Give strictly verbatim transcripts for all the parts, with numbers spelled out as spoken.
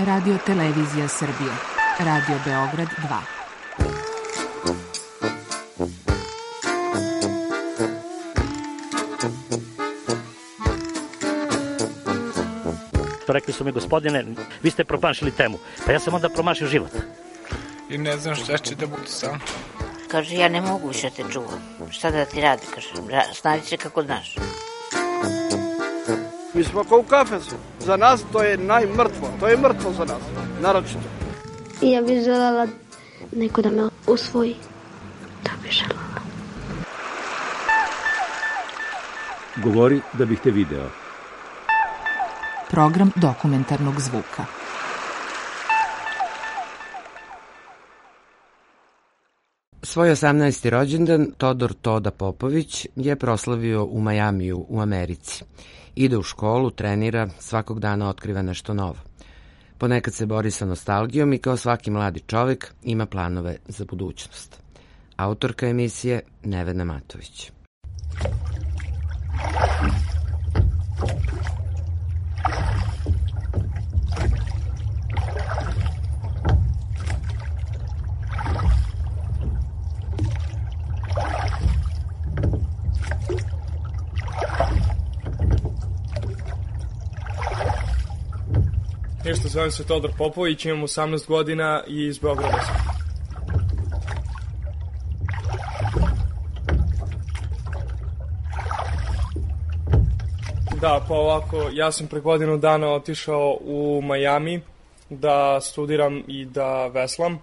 Radio Televizija Srbije. Radio Beograd dva. Rekli su mi, gospodine, vi ste promašili temu. Pa ja sam onda promašio život. I ne znam šta će da bude sam. Kaže, ja ne mogu više te čuvam. Šta da ti radi, kaže, snađi se kako znaš. Mi smo kao u kafesu. Za nas to je najmrtvo. To je mrtvo za nas, naročito. I ja bih želela neko da me usvoji. To bih želela. Govori da bih te video. Program dokumentarnog zvuka. Svoj osamnaesti rođendan Todor Toda Popović je proslavio u Majamiju u Americi. Ide u školu, trenira, svakog dana otkriva nešto novo. Ponekad se bori sa nostalgijom i kao svaki mladi čovek ima planove za budućnost. Autorka emisije Nevena Matović. Ništa, zovem se Todor Popović, imam osamnaest godina i iz Beograda sam. Da, pa ovako, ja sam pre godinu dana otišao u Majami da studiram i da veslam.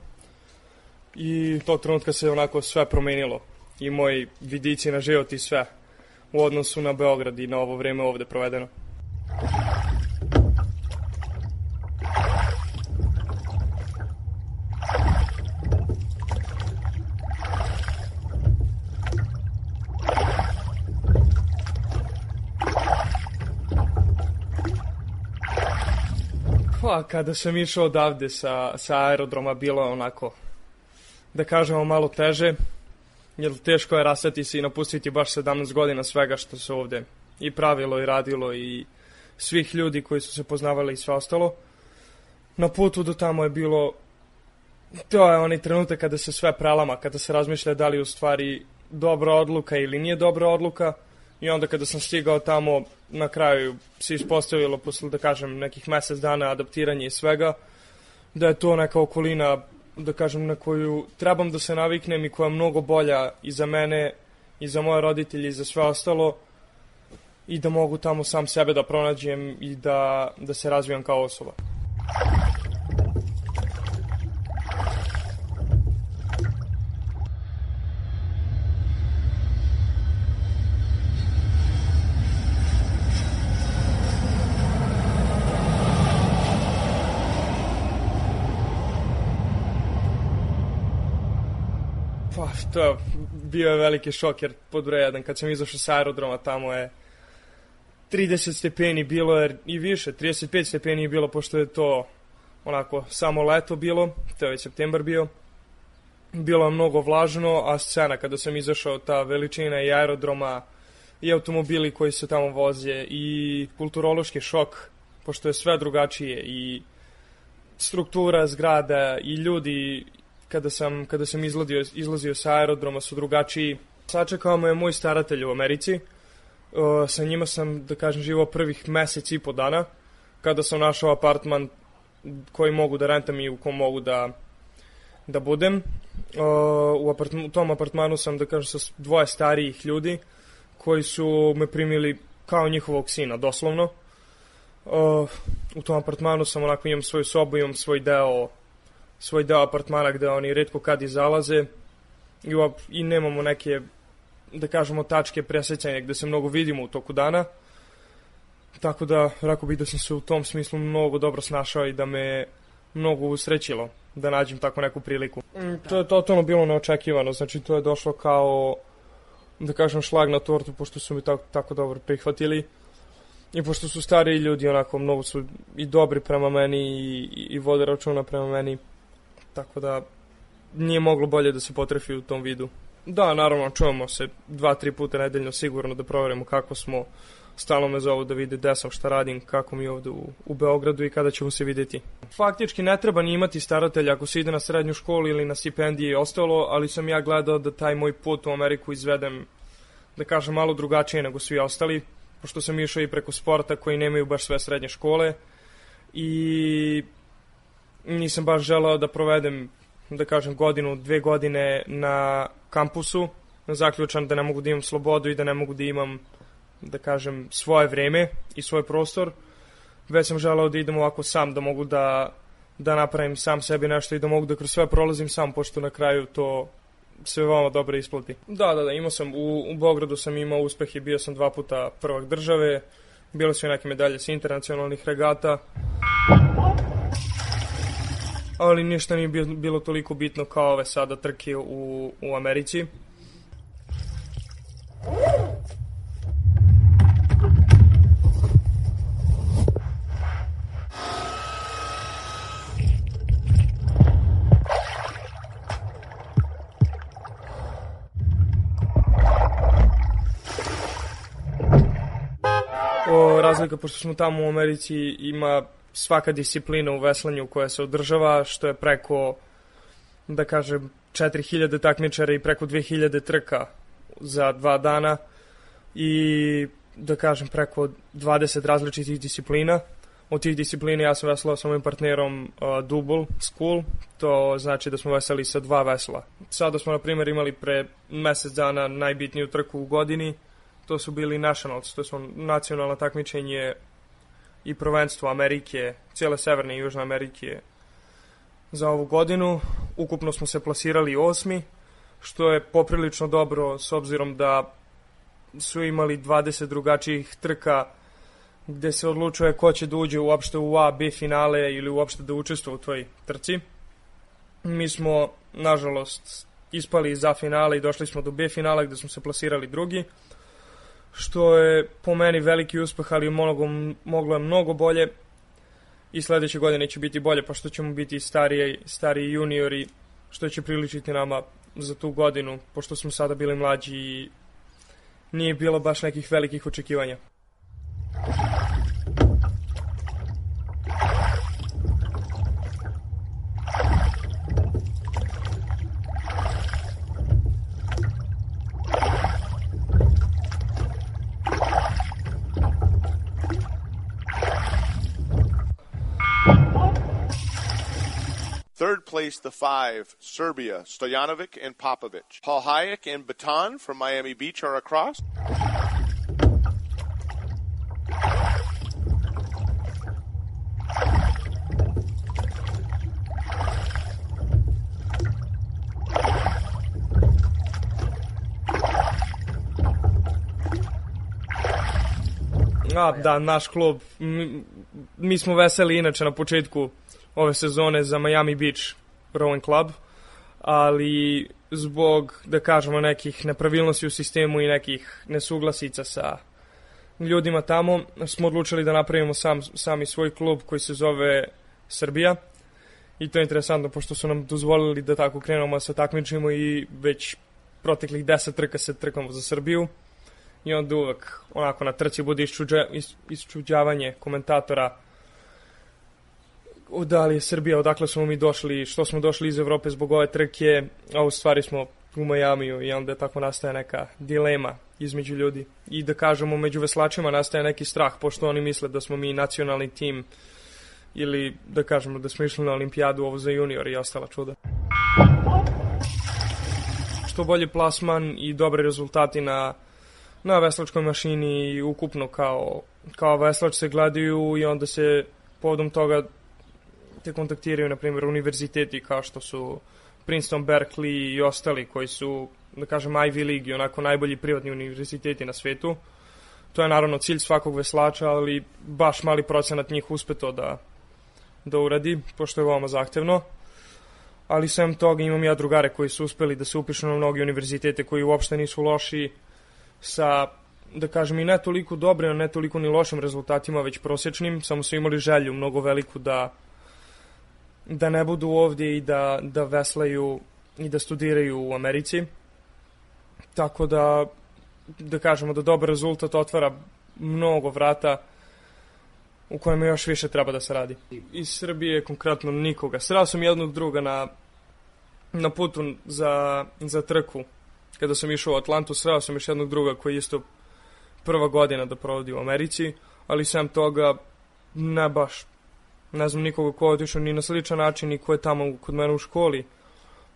I tog trenutka se onako sve promenilo. I moji vidici na život i sve u odnosu na Beograd i na ovo vreme ovde provedeno. Pa, kada sam išao odavde sa, sa aerodroma, bilo je onako, da kažemo, malo teže, jer teško je rastati se i napustiti baš sedamnaest godina svega što se ovde i pravilo i radilo i svih ljudi koji su se poznavali i sve ostalo. Na putu do tamo je bilo, to je onaj trenutak kada se sve prelama, kada se razmišlja da li je u stvari dobra odluka ili nije dobra odluka. I onda kada sam stigao tamo, na kraju se ispostavilo, posle da kažem nekih mesec dana adaptiranja i svega, da je to neka okolina, da kažem, na koju trebam da se naviknem i koja je mnogo bolja i za mene, i za moje roditelje, i za sve ostalo, i da mogu tamo sam sebe da pronađem i da, da se razvijam kao osoba. Pa, to bio je veliki šok, jer pod broj jedan, kad sam izašao sa aerodroma, tamo je trideset stepeni bilo je i više, trideset pet stepeni je bilo, pošto je to onako samo leto bilo, to je već septembar bio. Bilo je mnogo vlažno, a scena kada sam izašao, ta veličina i aerodroma i automobili koji se tamo voze i kulturološki šok, pošto je sve drugačije i struktura zgrada i ljudi. Kada sam, kada sam izlazio, izlazio sa aerodroma su drugačiji. Sačekao me je moj staratelj u Americi. Uh, sa njima sam, da kažem, živao prvih mesec i po dana. Kada sam našao apartman koji mogu da rentam i u kom mogu da, da budem. Uh, u, apartm, u tom apartmanu sam, da kažem, sa dvoje starijih ljudi koji su me primili kao njihovog sina, doslovno. Uh, u tom apartmanu sam onako, imam svoju sobu, imam svoj deo svoj deo apartmana gde oni retko kad izalaze i, i nemamo neke, da kažemo, tačke presecanja gde se mnogo vidimo u toku dana. Tako da, rekao bih da sam se u tom smislu mnogo dobro snašao i da me mnogo usrećilo da nađem tako neku priliku. To je totalno bilo neočekivano, znači to je došlo kao, da kažem, šlag na tortu, pošto su mi tako, tako dobro prihvatili i pošto su stariji ljudi, onako, mnogo su i dobri prema meni i, i, i vode računa prema meni. Tako da nije moglo bolje da se potrefi u tom vidu. Da, naravno, čujemo se dva, tri puta nedeljno sigurno da proverimo kako smo, stalno me zovu da vide gde sam, šta radim, kako mi je ovde u, u Beogradu i kada ćemo se videti. Faktički ne treba ni imati staratelja ako se ide na srednju školu ili na stipendije i ostalo, ali sam ja gledao da taj moj put u Ameriku izvedem, da kažem, malo drugačije nego svi ostali, pošto sam išao i preko sporta koji nemaju baš sve srednje škole i nisam baš želeo da provedem, da kažem, godinu, dve godine na kampusu, zaključan da ne mogu da imam slobodu i da ne mogu da imam, da kažem, svoje vreme i svoj prostor. Već sam želeo da idem ovako sam, da mogu da, da napravim sam sebi nešto i da mogu da kroz sve prolazim sam, pošto na kraju to se veoma dobro isplati. Da, da, da, imao sam, u, u Beogradu sam imao uspeh i bio sam dva puta prvak države, bile su i neke medalje sa internacionalnih regata, ali ništa nije bilo toliko bitno kao ove sada trke u, u Americi. O, razlika, pošto smo tamo u Americi, ima svaka disciplina u veslanju koja se održava, što je preko, da kažem, četiri hiljade takmičara i preko dve hiljade trka za dva dana i, da kažem, preko dvadeset različitih disciplina. Od tih disciplina ja sam veslao sa mojim partnerom uh, double school, to znači da smo veseli sa dva vesla. Sada smo, na primjer, imali pre mesec dana najbitniju trku u godini, to su bili nationals, to su nacionalno takmičenje i prvenstvo Amerike, cijele Severne i Južne Amerike za ovu godinu. Ukupno smo se plasirali osmi, što je poprilično dobro s obzirom da su imali dvadeset drugačijih trka gde se odlučuje ko će da uđe uopšte u A, B finale ili uopšte da učestvuje u toj trci. Mi smo, nažalost, ispali za finale i došli smo do B finala gde smo se plasirali drugi, što je po meni veliki uspeh, ali mnogo, moglo je mnogo bolje i sledeće godine će biti bolje, pošto ćemo biti stariji, stariji juniori, što će priličiti nama za tu godinu, pošto smo sada bili mlađi i nije bilo baš nekih velikih očekivanja. Third place, the five, Serbia, Stojanovic and Popovic. Paul Hayek and Baton from Miami Beach are across. A, da, naš klub, mi, mi smo veseli inače na početku ove sezone za Miami Beach Rowing Club, ali zbog, da kažemo, nekih nepravilnosti u sistemu i nekih nesuglasica sa ljudima tamo, smo odlučili da napravimo sam, sami svoj klub koji se zove Srbija. I to je interesantno, pošto su nam dozvolili da tako krenemo sa takmičimo i već proteklih deset trka se trkamo za Srbiju. I onda uvek onako na trci bude iščuđa, iščuđavanje komentatora da li je Srbija, odakle smo mi došli, što smo došli iz Evrope zbog ove trke, a u stvari smo u Majamiju i onda tako nastaje neka dilema između ljudi. I da kažemo, među veslačima nastaje neki strah, pošto oni misle da smo mi nacionalni tim ili da kažemo da smo išli na olimpijadu ovo za junior i ostala čuda. Što bolji plasman i dobre rezultati na, na veslačkoj mašini i ukupno kao, kao veslač se gledaju i onda se povodom toga te kontaktiraju, na primjer, univerziteti kao što su Princeton, Berkeley i ostali koji su, da kažem, Ivy League i onako najbolji privatni univerziteti na svetu. To je naravno cilj svakog veslača, ali baš mali procenat njih uspe to da, da uradi, pošto je veoma zahtevno. Ali sem toga imam ja drugare koji su uspeli da se upišu na mnogi univerzitete koji uopšte nisu loši sa, da kažem, i ne toliko dobrim, ne toliko ni lošim rezultatima, već prosječnim, samo su imali želju mnogo veliku da da ne budu ovdje i da, da veslaju i da studiraju u Americi. Tako da, da kažemo da dobar rezultat otvara mnogo vrata u kojima još više treba da se radi. Iz Srbije konkretno nikoga. Sreo sam jednog druga na, na putu za, za trku. Kada sam išao u Atlantu, sreo sam još jednog druga koji je isto prva godina da provodi u Americi, ali sem toga ne baš. Ne znam nikoga ko je otišao ni na sličan način i ko je tamo kod mene u školi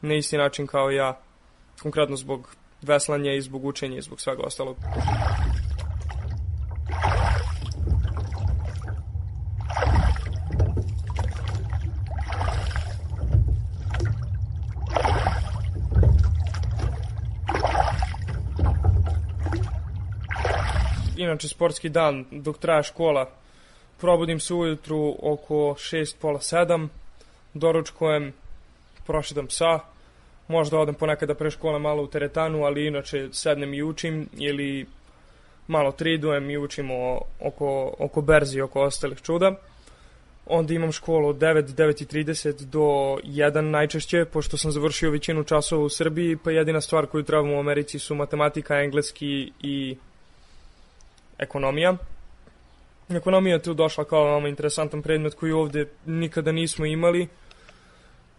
na isti način kao ja, konkretno zbog veslanja i zbog učenja i zbog svega ostalog. Inače, sportski dan, dok traje škola, probudim se ujutru oko šest, pola sedam, doručkujem, prošetam psa, možda odem ponekada pre škole malo u teretanu, ali inače sednem i učim ili malo tridujem i učimo oko, oko berzi i oko ostalih čuda. Onda imam školu od devet, devet i trideset do jedan najčešće, pošto sam završio većinu časova u Srbiji, pa jedina stvar koju trebam u Americi su matematika, engleski i ekonomija. Ekonomija je tu došla kao veoma interesantan predmet koji ovde nikada nismo imali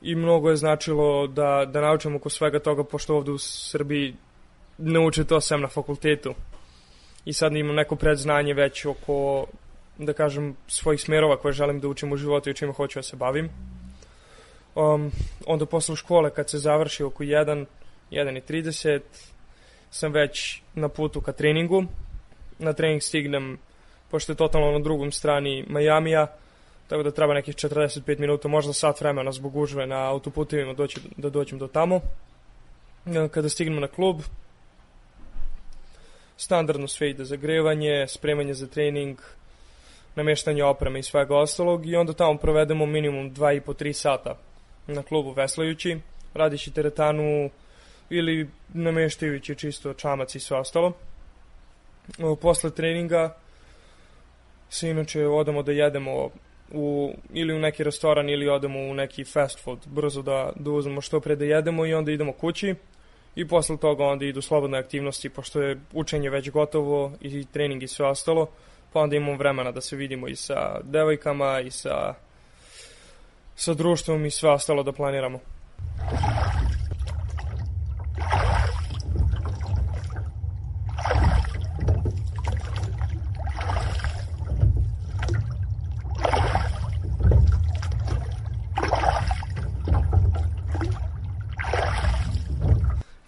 i mnogo je značilo da, da naučimo oko svega toga, pošto ovde u Srbiji ne uče to sem na fakultetu. I sad imam neko predznanje već oko, da kažem, svojih smerova koje želim da učim u životu i čime hoću da se bavim. Um, onda posle škole, kad se završi oko jedan, jedan i trideset, sam već na putu ka treningu. Na trening stignem, pošto je totalno na drugom strani Majamija, tako da treba nekih četrdeset pet minuta, možda sat vremena zbog gužve na autoputevima doći, da dođem do tamo. Kada stignem na klub, standardno sve ide zagrevanje, spremanje za trening, nameštanje opreme i svega ostalog i onda tamo provedemo minimum dva i po tri sata na klubu veslajući, radići teretanu ili nameštajući čisto čamac i sve ostalo. Posle treninga se inače odemo da jedemo u, ili u neki restoran ili odemo u neki fast food, brzo da, da uzmemo što pre da jedemo i onda idemo kući i posle toga onda idu slobodne aktivnosti pošto je učenje već gotovo i trening i sve ostalo, pa onda imamo vremena da se vidimo i sa devojkama i sa, sa društvom i sve ostalo da planiramo.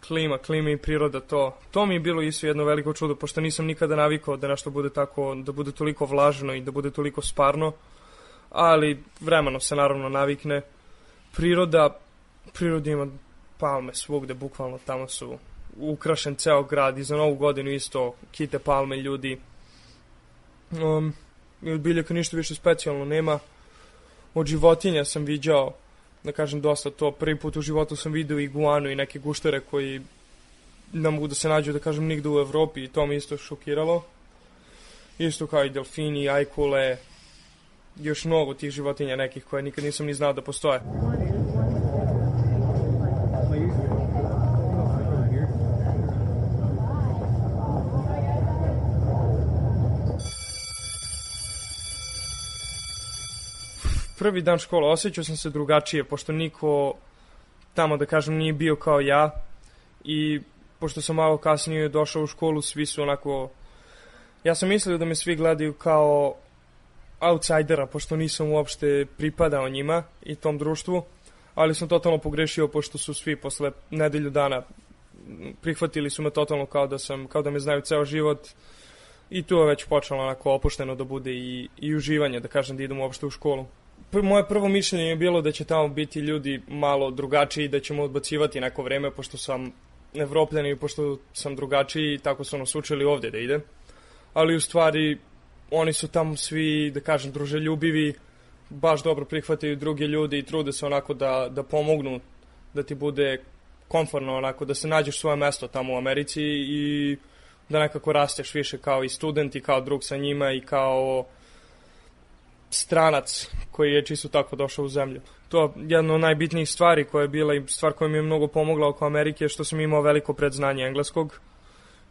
Klima, klima i priroda, to, to mi je bilo isto jedno veliko čudo, pošto nisam nikada navikao da nešto bude tako, da bude toliko vlažno i da bude toliko sparno, ali vremeno se naravno navikne. Priroda, priroda ima palme svugde, bukvalno tamo su ukrašen ceo grad i za novu godinu isto kite palme ljudi. Um, I od biljaka ništa više specijalno nema. Od životinja sam viđao, da kažem, dosta to. Prvi put u životu sam vidio iguanu i neke guštere koji ne mogu da se nađu, da kažem, nigde u Evropi i to mi isto šokiralo. Isto kao i delfini, ajkule, još mnogo tih životinja nekih koje nikad nisam ni znao da postoje. Prvi dan škola osjećao sam se drugačije, pošto niko tamo, da kažem, nije bio kao ja i pošto sam malo kasnije došao u školu, svi su onako... Ja sam mislio da me svi gledaju kao outsidera, pošto nisam uopšte pripadao njima i tom društvu, ali sam totalno pogrešio, pošto su svi posle nedelju dana prihvatili su me totalno kao da sam, kao da me znaju ceo život i tu je već počelo onako opušteno da bude i, i uživanje, da kažem, da idem uopšte u školu. Moje prvo mišljenje je bilo da će tamo biti ljudi malo drugačiji i da ćemo odbacivati neko vreme, pošto sam Evropljan i pošto sam drugačiji i tako su nas učili ovde da ide. Ali u stvari oni su tamo svi, da kažem, druželjubivi, baš dobro prihvataju druge ljude i trude se onako da, da pomognu, da ti bude komfortno, onako da se nađeš svoje mesto tamo u Americi i da nekako rasteš više kao i student i kao drug sa njima i kao stranac koji je čisto tako došao u zemlju. To je jedna od najbitnijih stvari koja je bila i stvar koja mi je mnogo pomogla oko Amerike, što sam imao veliko predznanje engleskog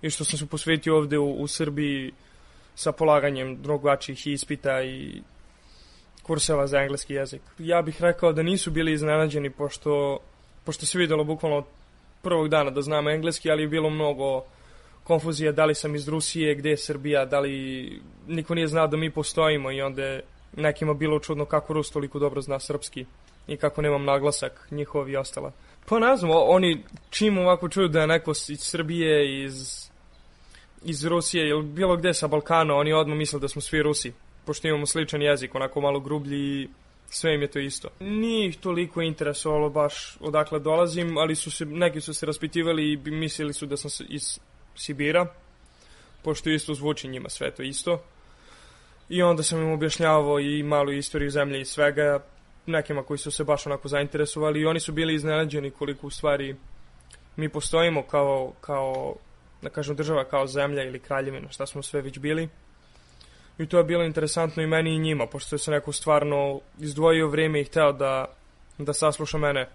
i što sam se posvetio ovde u, u Srbiji sa polaganjem drugačijih ispita i kurseva za engleski jezik. Ja bih rekao da nisu bili iznenađeni, pošto, pošto se videlo bukvalno od prvog dana da znam engleski, ali je bilo mnogo konfuzije, da li sam iz Rusije, gde je Srbija, da li niko nije znao da mi postojimo i onda je nekima bilo čudno kako Rus toliko dobro zna srpski i kako nemam naglasak njihov i ostala. Pa ne znam, oni čim ovako čuju da je neko iz Srbije, iz, iz Rusije ili bilo gde sa Balkana, oni odmah misle da smo svi Rusi, pošto imamo sličan jezik, onako malo grublji i sve im je to isto. Nije ih toliko interesovalo baš odakle dolazim, ali su se, neki su se raspitivali i mislili su da sam iz Sibira, pošto isto zvuči njima sve to isto. I onda sam im objašnjavao i malu istoriju zemlje i svega, nekima koji su se baš onako zainteresovali i oni su bili iznenađeni koliko u stvari mi postojimo kao, kao da kažem, država, kao zemlja ili kraljevina, šta smo sve već bili. I to je bilo interesantno i meni i njima, pošto se neko stvarno izdvojio vrijeme i hteo da, da sasluša mene,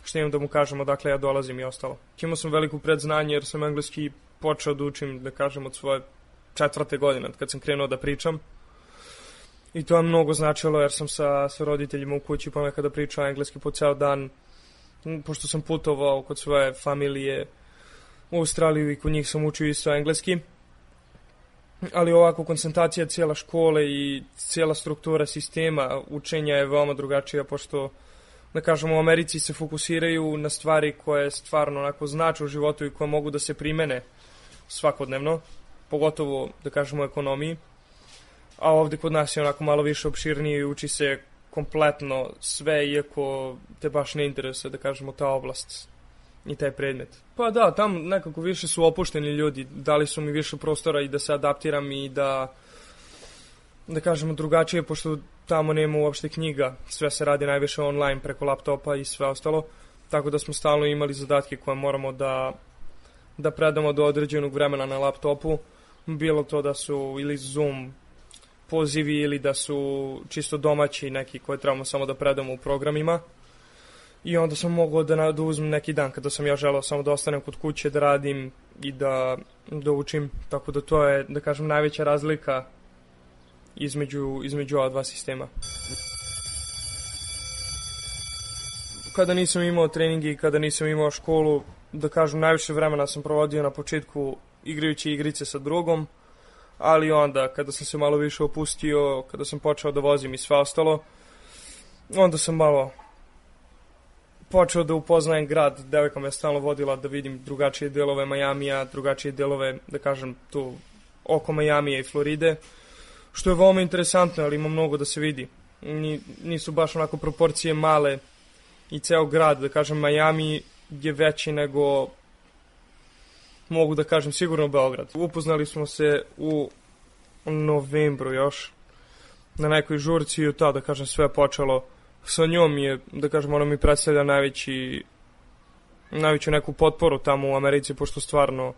što imam da mu kažem odakle ja dolazim i ostalo. Imao sam veliko predznanje jer sam engleski počeo da učim, da kažem, od svoje četvrte godine, kad sam krenuo da pričam. I to je mnogo značilo jer sam sa, sa roditeljima u kući ponekada pričao engleski po ceo dan, pošto sam putovao kod svoje familije u Australiju i kod njih sam učio isto engleski. Ali ovako koncentracija cijela škole i cijela struktura sistema učenja je veoma drugačija, pošto, da kažemo, u Americi se fokusiraju na stvari koje stvarno onako znače u životu i koje mogu da se primene svakodnevno, pogotovo, da kažemo, u ekonomiji. A ovdje kod nas je onako malo više opširnije i uči se kompletno sve, iako te baš ne interesuje, da kažemo, ta oblast i taj predmet. Pa da, tam nekako više su opušteni ljudi, dali su mi više prostora i da se adaptiram i da, da kažemo, drugačije, pošto tamo nema uopšte knjiga, sve se radi najviše online preko laptopa i sve ostalo, tako da smo stalno imali zadatke koje moramo da, da predamo do određenog vremena na laptopu, bilo to da su ili Zoom pozivi ili da su čisto domaći neki koje trebamo samo da predamo u programima. I onda sam mogao da, da uzmem neki dan kada sam ja želeo samo da ostanem kod kuće, da radim i da, da učim. Tako da to je, da kažem, najveća razlika između, između ova dva sistema. Kada nisam imao treningi i kada nisam imao školu, da kažem, najviše vremena sam provodio na početku igrajući igrice sa drugom, ali onda kada sam se malo više opustio, kada sam počeo da vozim i sve ostalo, onda sam malo počeo da upoznajem grad. Devojka me je stalno vodila da vidim drugačije delove Majamija, drugačije delove, da kažem, tu oko Majamija i Floride, što je veoma interesantno, ali ima mnogo da se vidi. Nisu baš onako proporcije male i ceo grad, da kažem, Majami je veći nego, mogu da kažem, sigurno Beograd. Upoznali smo se u novembru još na nekoj žurci i to, da kažem, sve počelo sa njom je, da kažem, ona mi predstavlja najveći, najveću neku potporu tamo u Americi, pošto stvarno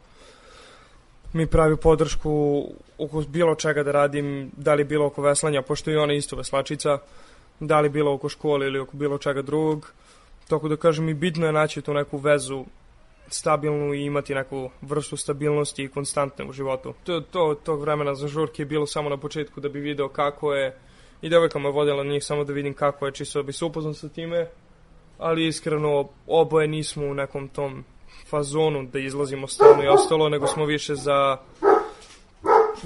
mi pravi podršku oko bilo čega da radim, da li bilo oko veslanja, pošto i ona isto veslačica, da li bilo oko škole ili oko bilo čega drugog. Tako da kažem, i bitno je naći tu neku vezu stabilnu i imati neku vrstu stabilnosti i konstantne u životu. To, to, tog vremena za žurke je bilo samo na početku da bi video kako je, i devojka me vodila na njih samo da vidim kako je, čisto da bi se upoznao sa time, ali iskreno oboje nismo u nekom tom fazonu da izlazimo stalno i ostalo, nego smo više za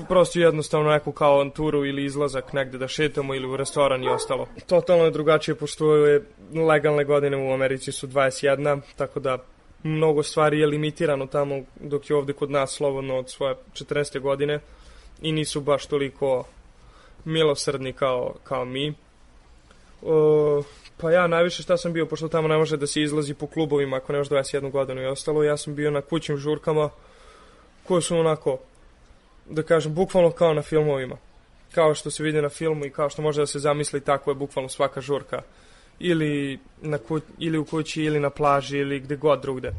prosto jednostavno neku kao avanturu ili izlazak negde da šetamo ili u restoran i ostalo. Totalno je drugačije, pošto je legalne godine u Americi su dvadeset jedna, tako da mnogo stvari je limitirano tamo, dok je ovde kod nas slobodno od svoje četrnaeste godine i nisu baš toliko milosrdni kao, kao mi. O, pa ja najviše šta sam bio, pošto tamo ne može da se izlazi po klubovima ako nemaš dvadeset jednu godinu i ostalo, ja sam bio na kućnim žurkama koje su onako, da kažem, bukvalno kao na filmovima. Kao što se vidi na filmu i kao što može da se zamisli, tako je bukvalno svaka žurka. Ili, na ku, ili u kući, ili na plaži, ili gde god drugde.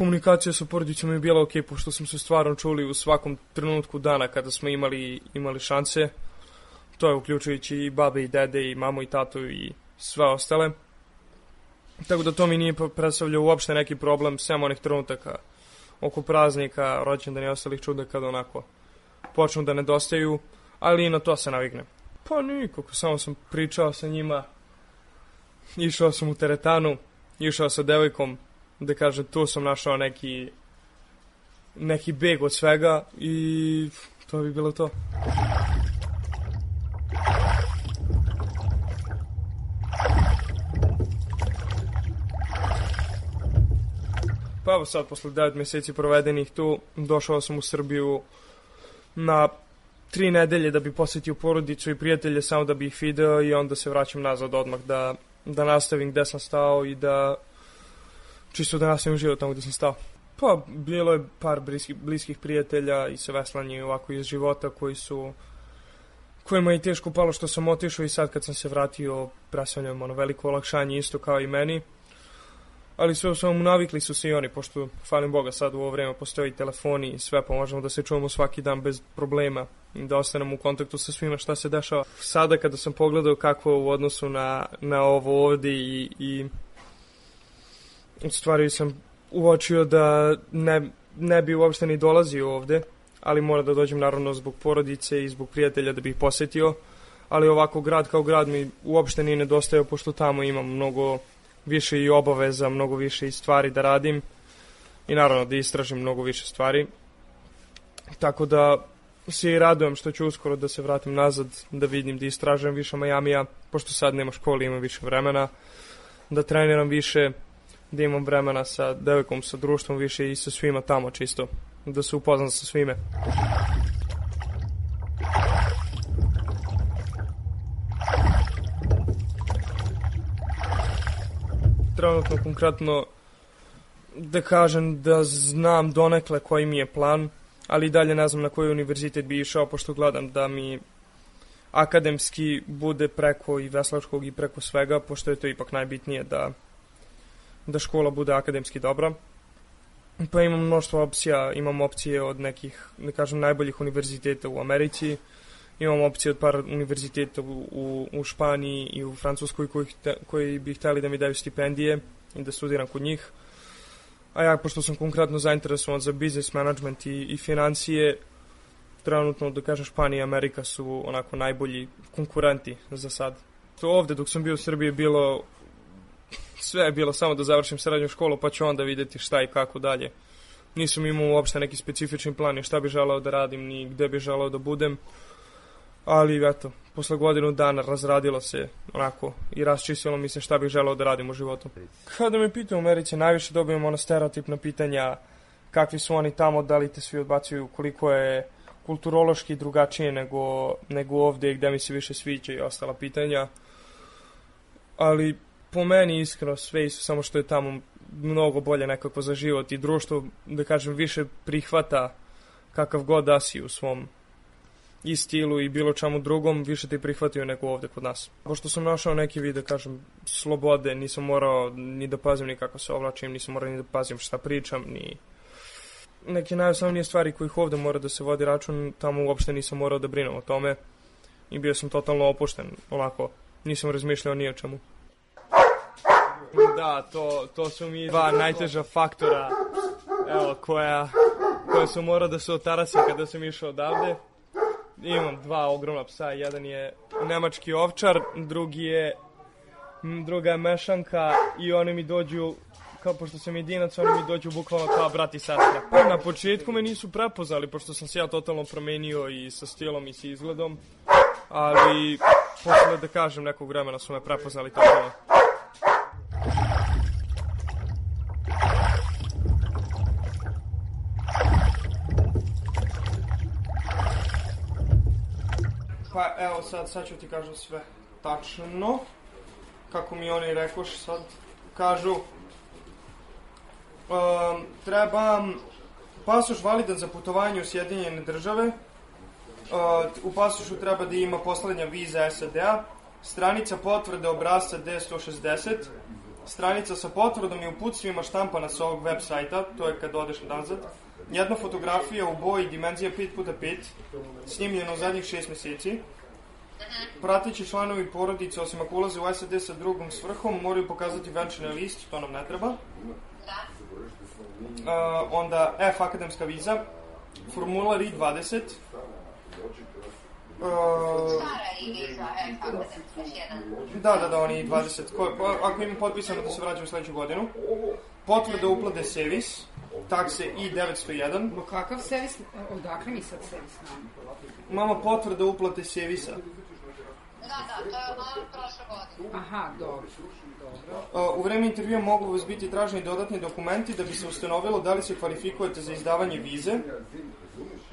komunikacija sa porodicom je bila ok, pošto smo se stvarno čuli u svakom trenutku dana kada smo imali, imali šanse. To je uključujući i babe i dede i mamu i tatu i sve ostale. Tako da to mi nije predstavljao uopšte neki problem, sem onih trenutaka oko praznika, rođendana i ostalih čuda kada onako počnu da nedostaju, ali i na to se naviknem. Pa nikako, samo sam pričao sa njima, išao sam u teretanu, išao sa devojkom, da kažem, tu sam našao neki neki beg od svega i to bi bilo to. Pa evo sad, posle devet meseci provedenih tu, došao sam u Srbiju na tri nedelje da bi posjetio porodicu i prijatelje, samo da bi ih video i onda se vraćam nazad odmah da, da nastavim gde sam stao i da čisto da nastavim život tamo gde sam stao. Pa, bilo je par bliskih, bliskih prijatelja i sa veslanje ovako iz života koji su, kojima je teško palo što sam otišao i sad kad sam se vratio predstavljam ono veliko olakšanje isto kao i meni. Ali sve samo navikli su se i oni, pošto, hvalim Boga, sad u ovo vreme postoji telefoni i sve, pa možemo da se čujemo svaki dan bez problema i da ostanemo u kontaktu sa svima šta se dešava. Sada kada sam pogledao kako u odnosu na, na ovo ovde i, i u stvari sam uočio da ne, ne bi uopšte ni dolazio ovde, ali mora da dođem naravno zbog porodice i zbog prijatelja da bih posetio, ali ovako grad kao grad mi uopšte nije nedostajao, pošto tamo imam mnogo više i obaveza, mnogo više i stvari da radim i naravno da istražim mnogo više stvari. Tako da se i radujem što ću uskoro da se vratim nazad, da vidim, da istražujem više Majamija, pošto sad nema škole, imam više vremena, da treniram više, da imam vremena sa devojkom, sa društvom više i sa svima tamo čisto, da se upoznam sa svime. Trenutno konkretno da kažem da znam donekle koji mi je plan, ali i dalje ne znam na koji univerzitet bi išao, pošto gledam da mi akademski bude preko i veslačkog i preko svega, pošto je to ipak najbitnije da, da škola bude akademski dobra. Pa imam mnoštvo opcija, imam opcije od nekih, da kažem, najboljih univerziteta u Americi, imam opcije od par univerziteta u, u, u Španiji i u Francuskoj koji, te, koji bi hteli da mi daju stipendije i da studiram kod njih. A ja, pošto sam konkretno zainteresovan za business management i, i financije, trenutno, da kažem, Španija i Amerika su onako najbolji konkurenti za sad. To ovde, dok sam bio u Srbiji, bilo sve je bilo samo da završim srednju školu, pa ću onda vidjeti šta i kako dalje. Nisam imao uopšte neki specifični plan ni šta bi želeo da radim, ni gde bi želeo da budem. Ali, eto, posle godinu dana razradilo se onako i raščistilo mi se šta bih želeo da radim u životu. Kada me pitaju u Americi, najviše dobijem ona stereotipna pitanja kakvi su oni tamo, da li te svi odbacuju, koliko je kulturološki drugačije nego, nego ovde gde mi se više sviđa i ostala pitanja. Ali po meni iskreno sve isto, samo što je tamo mnogo bolje nekako za život i društvo, da kažem, više prihvata kakav god da si u svom i stilu i bilo čemu drugom, više te prihvatio nego ovde kod nas. Pošto sam našao neki vid, da kažem, slobode, nisam morao ni da pazim ni kako se oblačim, nisam morao ni da pazim šta pričam, ni neke najosnovnije stvari kojih ovde mora da se vodi račun, tamo uopšte nisam morao da brinem o tome i bio sam totalno opušten, onako, nisam razmišljao ni o čemu. Da, to, to su mi dva najteža faktora, evo, koja, koja su morao da se otarasi kada sam išao odavde. Imam dva ogromna psa, jedan je nemački ovčar, drugi je, druga je mešanka i oni mi dođu, kao pošto sam jedinac, oni mi dođu bukvalno kao brat i sestra. Na početku me nisu prepoznali, pošto sam se ja totalno promenio i sa stilom i sa izgledom, ali posle, da kažem, nekog vremena su me prepoznali totalno. Pa evo sad, sad ću ti kažem sve tačno, kako mi oni rekoš sad, kažu, um, treba pasoš validan za putovanje u Sjedinjene države, uh, u pasošu treba da ima poslednja viza S A D-a, stranica potvrde obrasca D sto šezdeset, stranica sa potvrdom i uputstvima štampana sa ovog web sajta, to je kad odeš nazad. Jedna fotografija u boji dimenzija pet puta pet, snimljena u zadnjih šest meseci. Prateći članovi porodice, osim ako ulaze u S A D sa drugom svrhom, moraju pokazati venčani list, to nam ne treba. Uh, onda F akademska viza, formular I dvadeset. Uh, Stara I viza, F akademska jedan. Da, da, da, oni I dvadeset. Ko, ako imam potpisano da se vraćam u sledeću godinu. Potvrda uplate Sevis, takse I devetsto jedan. Ma kakav Sevis? Odakle mi sad Sevis nam? Mama, potvrda uplate Sevisa. Da, da, to je ono prošle godine. Aha, dobro, dobro. U vreme intervjua mogu vas biti traženi dodatni dokumenti da bi se ustanovilo da li se kvalifikujete za izdavanje vize.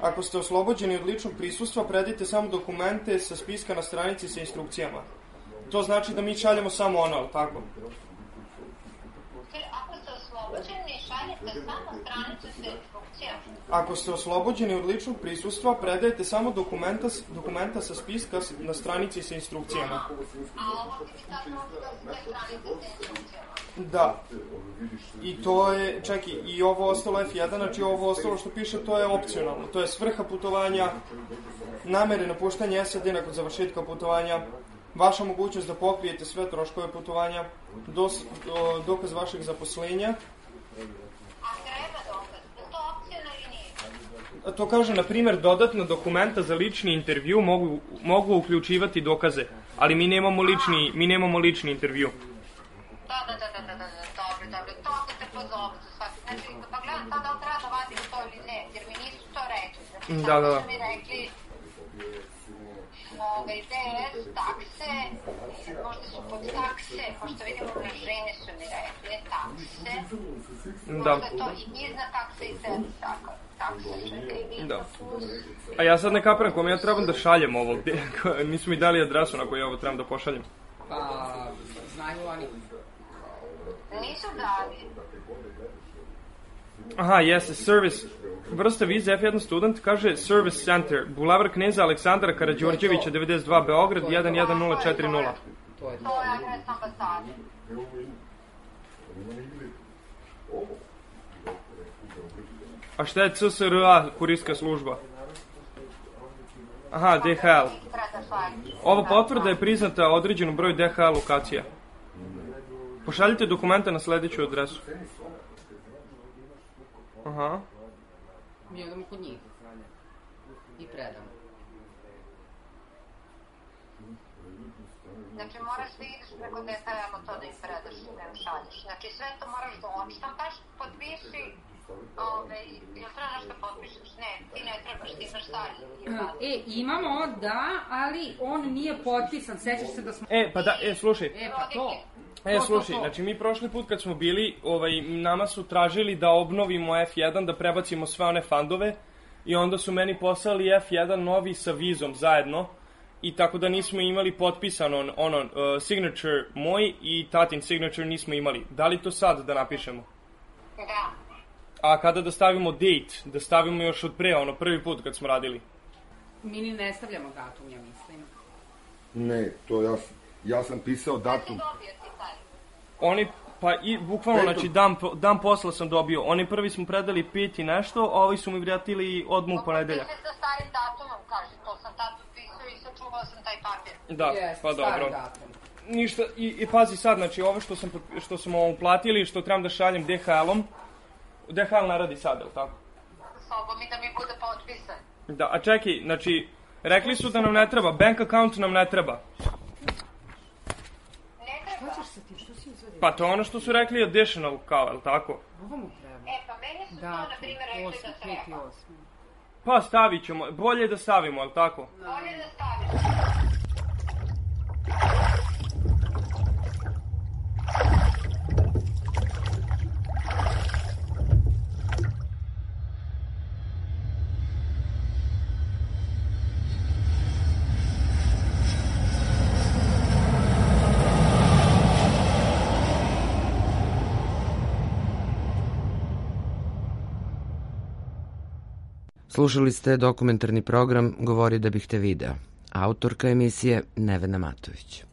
Ako ste oslobođeni od ličnog prisustva, predajte samo dokumente sa spiska na stranici sa instrukcijama. To znači da mi šaljemo samo ono, ali tako? Ako ste oslobođeni, šaljete samo stranicu sa instrukcijama. Ako ste oslobođeni od ličnog prisustva, predajte samo dokumenta, dokumenta sa spiska na stranici sa instrukcijama. A ovo ti tačno da ste stranice sa instrukcijama? Da. I to je, čekaj, i ovo ostalo F jedan, znači ovo ostalo što piše, to je opcionalno. To je svrha putovanja, namere napuštanja S A D nakon završetka putovanja, vaša mogućnost da pokrijete sve troškove putovanja, dos, o, dokaz vašeg zaposlenja. A treba dokaz? Je to opcionalno ili nije? To kaže, na primjer, dodatna dokumenta za lični intervju mogu, mogu uključivati dokaze, ali mi nemamo lični, mi nemamo lični intervju. Da, da, da, da, da, da, dobro, dobro, to ako te pozovu za svaki, znači, pa gledam sad da li treba da vadim to ili ne, jer mi nisu to rekli, znači, da, da, da. su mi rekli, ove, D S, takse, možda su pod takse, pošto vidimo na žene su mi rekli, takse, da. Možda je to i iznad takse i zem, tako, takse, čekaj, vidno da. plus. A ja sad ne kapiram kome ja trebam da šaljem ovo, nisu mi dali adresu na koju ja ovo trebam da pošaljem. Pa, znaju oni. Nisu dali. Aha, jeste, service, vrsta vize F jedan student, kaže Service Center, Bulevar Kneza Aleksandra Karađorđevića, devedeset dva, Beograd, jedan jedan nula četiri nula. To je adres ambasade. A šta je C S R A, kurirska služba? Aha, D H L. Ova potvrda je priznata određenom broju D H L lokacija. Pošaljite dokumenta na sledeću adresu. Aha. Mi odemo kod njih. I predamo. Znači, moraš da ideš preko D H L-a to da im predaš, da im šalješ. Znači, sve to moraš da odštampaš, potpiši, ove, jel treba nešto potpišeš? Ne, ti ne trebaš, ti imaš stari. E, imamo, da, ali on nije potpisan, sećaš se da smo... E, pa da, e, slušaj. E, pa to. E, slušaj, znači mi prošli put kad smo bili, ovaj, nama su tražili da obnovimo F jedan, da prebacimo sve one fandove i onda su meni poslali F jedan novi sa vizom zajedno i tako da nismo imali potpisano ono, uh, signature moj i tatin signature nismo imali. Da li to sad da napišemo? Da. A kada da stavimo date, da stavimo još od pre, ono prvi put kad smo radili? Mi ni ne stavljamo datum, ja mislim. Ne, to ja, ja sam pisao datum. Oni, pa i bukvalno, znači dan, dan posla sam dobio. Oni prvi smo predali pet i nešto, a ovi su mi vratili odmah u ponedeljak. Potpiše sa starim datumom, kaže, to sam tad potpisao i sačuvao sam taj papir. Da, yes, pa dobro. Datum. Ništa, i, i pazi sad, znači ovo što sam, što smo uplatili, što trebam da šaljem D H L-om, D H L ne radi sad, je li tako? Sobom i da mi bude potpisan. Da, a čekaj, znači, rekli su da nam ne treba, bank account nam ne treba. Ne treba? Šta ćeš sa tim, što si izvadio? Pa to je ono što su rekli additional kao, je li tako? Ovo mu treba. E, pa meni su da, to, na primjer, rekli da treba. Pa stavit ćemo, bolje je da stavimo, je li tako? Bolje da stavimo. Slušali ste dokumentarni program Govori da bih te video. Autorka emisije Nevena Matović.